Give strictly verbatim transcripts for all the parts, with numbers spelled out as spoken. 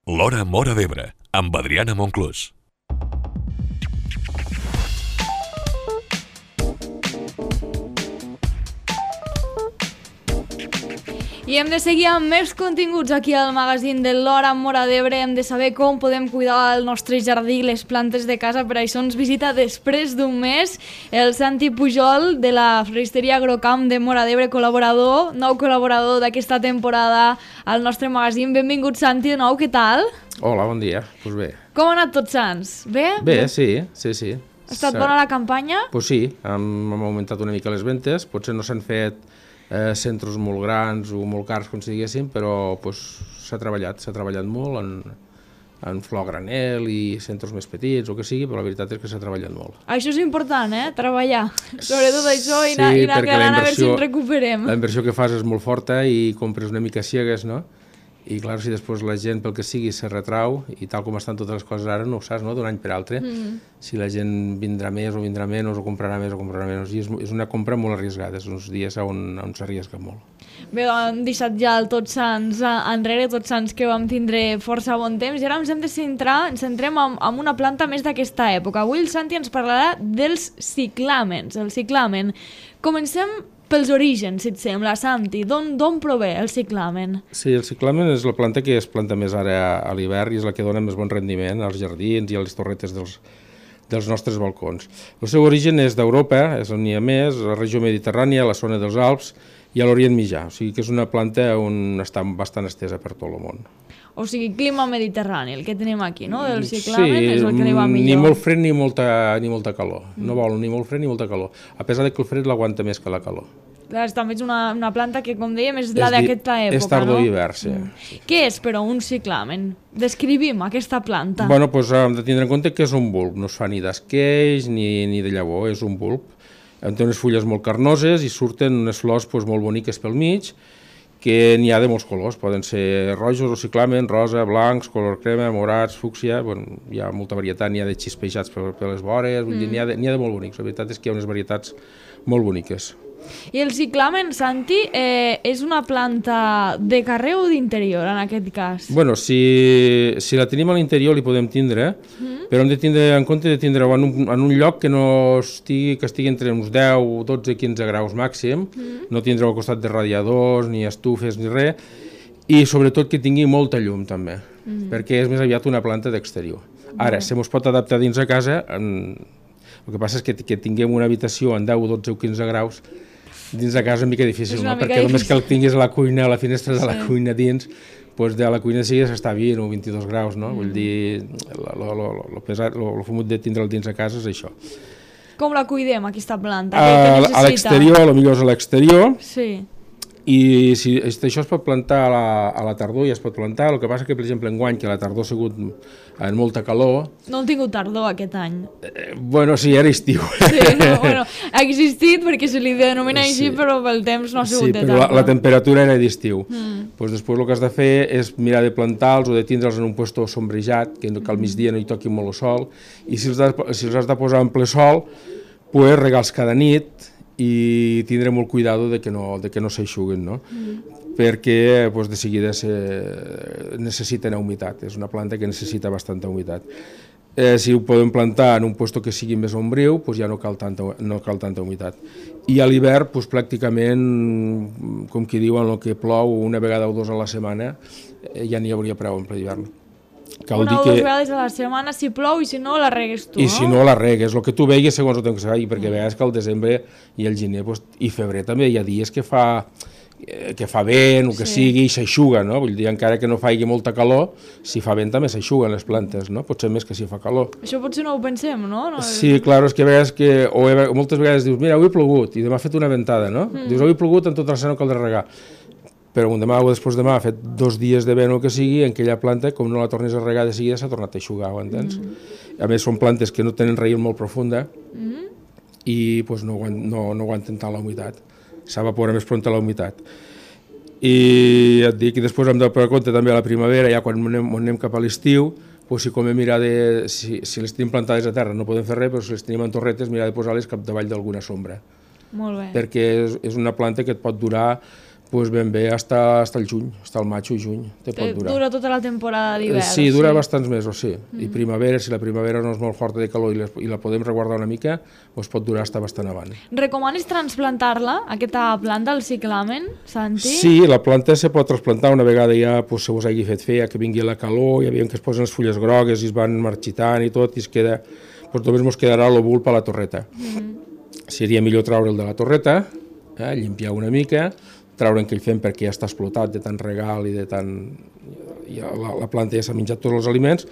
L'Hora Móra d'Ebre, amb Adriana Monclús. I hem de seguir amb més continguts aquí al magazín de l'Hora Móra d'Ebre. Hem de saber com podem cuidar el nostre jardí, les plantes de casa. Per això ens visita després d'un mes el Santi Pujol de la floristeria Agrocamp de Móra d'Ebre, col·laborador, nou col·laborador d'aquesta temporada al nostre magazín. Benvingut, Santi, de nou, què tal? Hola, bon dia. Doncs pues bé. Com ha anat Tots Sants? Bé? Bé, sí, sí, sí. Ha estat bona la campanya? Doncs pues sí, hem, hem augmentat una mica les ventes, potser no s'han fet eh, centres molt grans o molt cars, com si diguéssim, però pues, s'ha treballat, s'ha treballat molt en, en flor a granel i centres més petits o que sigui, però la veritat és que s'ha treballat molt. Això és important, eh? Treballar. Sobretot això i anar, sí, i anar creant a veure si ens recuperem. La inversió que fas és molt forta i compres una mica ciegues, no? I clar, si després la gent, pel que sigui, se retrau, i tal com estan totes les coses ara, no ho saps, no?, d'un any per altre, mm. si la gent vindrà més o vindrà menys, o comprarà més o comprarà menys, i és, és una compra molt arriscada, és uns dies on, on s'arrisca molt. Bé, hem deixat ja el Tots Sants enrere, Tots Sants que vam tindre força bon temps, i ara ens hem de centrar, ens centrem en, en una planta més d'aquesta època. Avui el Santi ens parlarà dels ciclàmens, el ciclamen. Comencem pels orígens, si et sembla, Santi. D'on prové el ciclamen? Sí, el ciclamen és la planta que es planta més ara a l'hivern i és la que dona més bon rendiment als jardins i a les torretes dels, dels nostres balcons. El seu origen és d'Europa, és on n'hi ha més, la regió mediterrània, la zona dels Alps i a l'Orient Mitjà. O sigui que és una planta on està bastant estesa per tot el món. O sigui, clima mediterrani, el que tenim aquí, no? Del ciclamen, sí, és el que li va millor. Ni molt fred ni molta, ni molta calor. Mm. No vol ni molt fred ni molta calor. A pesar de que el fred l'aguanta més que la calor. Clar, també és una, una planta que, com dèiem, és la d'aquesta època, és tardor no? i hivern, sí. Mm. sí. Què és, però, un ciclamen? Descrivim aquesta planta. Bueno, doncs hem de tindre en compte que és un bulb. No es fa ni d'esqueix ni, ni de llavor, és un bulb. Té unes fulles molt carnoses i surten unes flors doncs, molt boniques pel mig, que n'hi ha de molts colors, poden ser rojos o ciclamen, rosa, blancs, color crema, morats, fúcsia, bueno, hi ha molta varietat, n'hi ha de xispejats per, per les vores, mm. n'hi ha, de, n'hi ha de molt bonics, la veritat és que hi ha unes varietats molt boniques. I el ciclamen, Santi, eh, és una planta de carrer o d'interior, en aquest cas? Bueno, si, si la tenim a l'interior li podem tindre, mm. però hem de tindre en compte de tindre-ho en, un, en un lloc que no estigui, que estigui entre uns deu, dotze, quinze graus màxim, mm. no tindre-ho al costat de radiadors, ni estufes, ni res, i sobretot que tingui molta llum també, mm. perquè és més aviat una planta d'exterior. Ara, mm. se mos pot adaptar dins a casa, en... el que passa és que, que tinguem una habitació en deu, dotze o quinze graus, dins de casa és una mica difícil, una no? mica Perquè difícil. només que el tinguis a la cuina, a la finestra de la sí. cuina dins, doncs de la cuina sí s'està vint o vint-i-dos graus, no? Mm. Vull dir, el fumut de tindre'l dins de casa és això. Com la cuidem, aquesta planta? A, Què necessita? A l'exterior, potser és a l'exterior, sí. i si, això es pot plantar a la, a la tardor, ja es pot plantar, el que passa que, per exemple, enguany, que la tardor ha sigut en molta calor... No hem tingut tardor aquest any. Eh, bueno, sí, era estiu. Sí, no, bueno, ha existit perquè se li denomina sí. així, però pel temps no ha sigut sí, de tardor. Sí, però la, la temperatura era d'estiu. Mm. Pues després el que has de fer és mirar de plantar-los o de tindre'ls en un puesto sombrejat, que, que al migdia no hi toqui molt el sol, i si els, de, si els has de posar en ple sol, pues regar-los cada nit, i tindre molt cuidado de que no, de que no s'eixuguen, no? Mm. perquè pues, de seguida se, necessiten humitat, és una planta que necessita bastanta humitat. Eh, si ho podem plantar en un lloc que sigui més ombriu, pues ja no cal tanta, no cal tanta humitat. I a l'hivern, pues, pràcticament, com qui diuen, el que plou una vegada o dues a la setmana, eh, ja n'hi hauria prou en ple hivern. Cal una o dues que... vegades a la setmana si plou i si no la regues tu, I no? si no la regues, el que tu veigues segons el temps que se vegi, perquè a vegades que al desembre i al gener pues, i febrer també hi ha dies que fa, que fa vent o que sí. sigui i s'eixuga, no? Vull dir, encara que no faci molta calor, si fa vent també s'eixuguen les plantes, no? Potser més que si fa calor. Això potser no ho pensem, no? no sí, clar, és que a vegades que, o moltes vegades dius, mira, avui ha plogut i demà ha fet una ventada, no? Mm. Dius, avui ha plogut en tota la setmana no caldrà regar. Però un demà o després demà ha fet dos dies de vent o que sigui, en aquella planta, com no la tornes a regar de seguida, s'ha tornat a eixugar, ho entens? Mm. A més, són plantes que no tenen raïl molt profunda mm. i pues, no, no, no aguanten tant la humitat. S'evapora més pront la humitat. I et dic, i després hem de per compte també a la primavera, ja quan anem, anem cap a l'estiu, pues, si com mirar de, si, si les tenim plantades a terra no podem fer res, però si les tenim en torretes, mirar de posar-les cap davall d'alguna sombra. Molt bé. Perquè és, és una planta que et pot durar pues ben bé hasta, hasta el juny, hasta el maig o juny, te pot durar. Dura tota la temporada d'hivern. Sí, dura sí. bastants mesos, sí. Mm. I primavera, si la primavera no és molt forta de calor i, les, i la podem reguardar una mica, doncs pot durar hasta bastant avant. Recomanes transplantar-la, aquesta planta, el ciclamen, Santi? Sí, la planta se pot transplantar una vegada ja pues, se us hagi fet fer, que vingui la calor, ja veiem que es posen les fulles grogues i es van marxitant i tot, i es queda, doncs només ens quedarà el bulb a la torreta. Mm. Seria millor treure'l de la torreta, eh, llimpiar una mica, treure aquell fem perquè ja està explotat de tant regal i de tant... Ja la, la planta ja s'ha menjat tots els aliments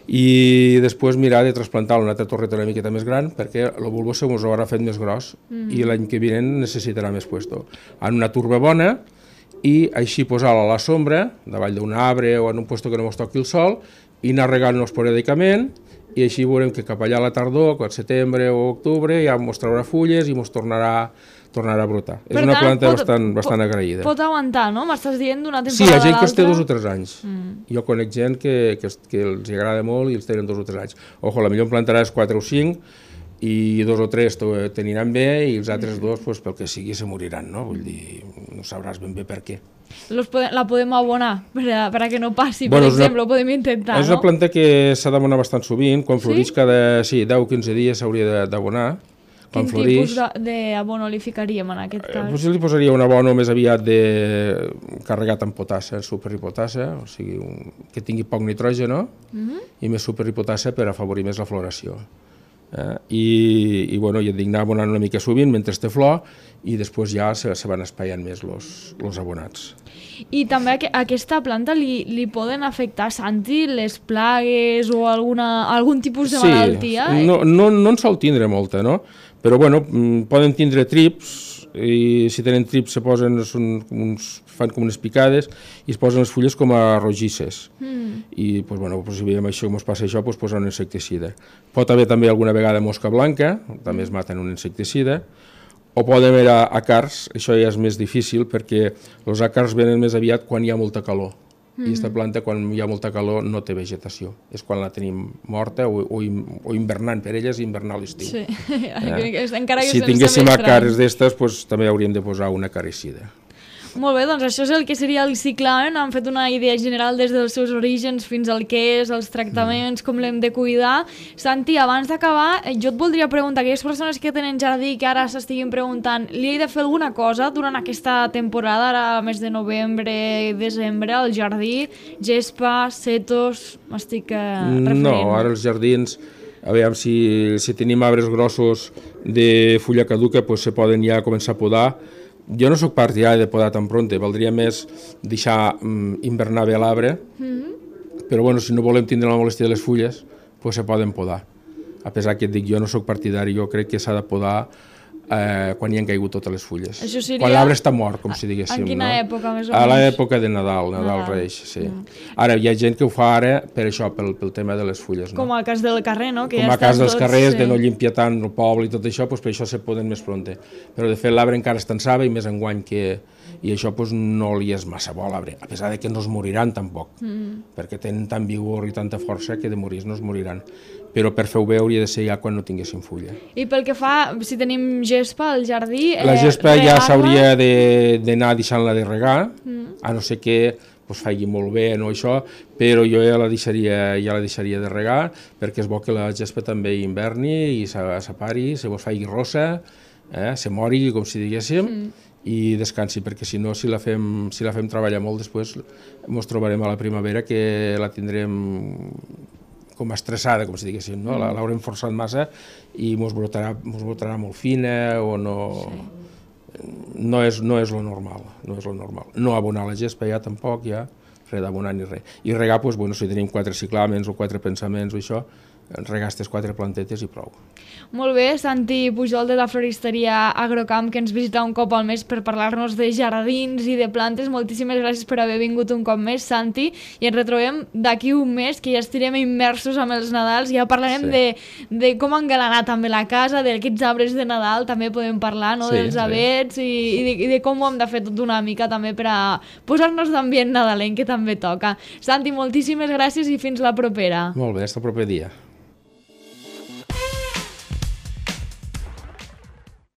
i després mirar de trasplantar una altra torreta una miqueta més gran perquè el bulbo se us haurà fet més gros mm. i l'any que vinent necessitarà més puesto. En una turba bona i així posar-la a la sombra, davall d'un arbre o en un puesto que no ens toqui el sol i anar regant-nos esporàdicament i així veurem que cap allà a la tardor, al setembre o octubre, ja ens traurà fulles i ens tornarà tornarà a brotar. Per és una tant, planta pot, bastant, bastant agraïda. Pot aguantar, no? M'estàs dient d'una temporada sí, hi ha gent que els té dos o l'altra? tres anys. Mm. Jo conec gent que, que, que els agrada molt i els tenen dos o tres anys. Ojo, la millor en plantaràs quatre o cinc i dos o tres t'aniran bé i els altres dos, pues, pel que sigui, se moriran, no? Vull dir, no sabràs ben bé per què. Los podem, la podem abonar per a, per a que no passi, bueno, per exemple, una, ho podem intentar, és no? És una planta que s'ha d'abonar bastant sovint, quan floreix sí? cada sí, deu o quinze dies s'hauria d'abonar. Quin tipus d'abono li ficaríem en aquest cas? Eh, li posaria un abono més aviat de carregat amb potassa, superhipotassa, o sigui, un, que tingui poc nitrogen, no? Uh-huh. I més superhipotassa per afavorir més la floració. Eh? I, i, bueno, i et dic anar abonant una mica sovint mentre té flor i després ja se, se van espaiant més els abonats. I també a aquesta planta li, li poden afectar, Santi, les plagues o alguna, algun tipus de sí, malaltia? No, no, no en sol tindre molta, no? Però bueno, poden tindre trips i si tenen trips se posen, són, uns, fan com unes picades i es posen les fulles com a rogisses. Mm. I pues, bueno, pues, si veiem això, com es passa això, pues, posen un insecticida. Pot haver també alguna vegada mosca blanca, també es maten un insecticida, o poden haver àcars, això ja és més difícil perquè els àcars venen més aviat quan hi ha molta calor. Mm. I aquesta planta, quan hi ha molta calor, no té vegetació. És quan la tenim morta o, o, o hivernant, per elles hivernar a l'estiu. Sí. Eh? Encara que si tinguéssim àcars d'estes, pues, també hauríem de posar una acaricida. Molt bé, doncs això és el que seria el ciclamen. Han fet una idea general des dels seus orígens fins al que és, els tractaments, com l'hem de cuidar. Santi, abans d'acabar, jo et voldria preguntar, aquelles persones que tenen jardí que ara s'estiguin preguntant, li he de fer alguna cosa durant aquesta temporada, ara mes de novembre, desembre, al jardí, gespa, setos, m'estic eh, referint? No, ara els jardins, a veure, si, si tenim arbres grossos de fulla caduca, pues se poden ja començar a podar. Jo no sóc partidari de podar tan pronte, valdria més deixar um, invernar bé l'arbre, mm-hmm. però bueno, si no volem tindre la molèstia de les fulles, pues se poden podar. A pesar que et dic, jo no sóc partidari, jo crec que s'ha de podar eh, quan hi han caigut totes les fulles. Això seria... Quan l'arbre està mort, com si diguéssim. En quina no? època, més o menys? A l'època de Nadal, Nadal, Nadal. Reis, sí. Mm. Ara, hi ha gent que ho fa ara per això, pel, pel tema de les fulles. No? Com al cas del carrer, no? Que com ja al cas dels tots, carrers, sí. de no limpiar tant el poble i tot això, pues, per això se poden més pronte. Però de fet l'arbre encara està en saba i més enguany que... I això pues, no li és massa bo a l'arbre, a pesar de que no es moriran tampoc, mm. perquè tenen tant vigor i tanta força que de morir no es moriran. Però per fer-ho bé hauria de ser ja quan no tinguessin fulla. I pel que fa, si tenim gespa al jardí... Eh, la gespa ja s'hauria d'anar deixant-la de regar, mm. a no ser que pues, faci molt bé no això, però jo ja la deixaria, ja la deixaria de regar, perquè és bo que la gespa també inverni i s'apari, se vos faci rossa, eh, se mori, com si diguéssim, mm. i descansi, perquè si no, si la fem, si la fem treballar molt, després ens trobarem a la primavera que la tindrem com estressada, com si diguéssim, no? La, l'haurem forçat massa i ens brotarà, ens brotarà molt fina o no... Sí. No és, no és lo normal, no és lo normal. No abonar la gespa ja tampoc, ja, res d'abonar ni res. I regar, doncs, bueno, si tenim quatre ciclamens o quatre pensaments o això, regar aquestes quatre plantetes i prou. Molt bé, Santi Pujol de la floristeria Agrocamp, que ens visita un cop al mes per parlar-nos de jardins i de plantes. Moltíssimes gràcies per haver vingut un cop més, Santi, i ens retrobem d'aquí un mes, que ja estirem immersos amb els Nadals, ja parlarem sí. de, de com engalanar també la casa, d'aquests arbres de Nadal, també podem parlar, no? Sí, dels avets sí. i, i, de, i de com ho hem de fer tot una mica també per a posar-nos d'ambient nadalenc, que també toca. Santi, moltíssimes gràcies i fins la propera. Molt bé, fins el proper dia.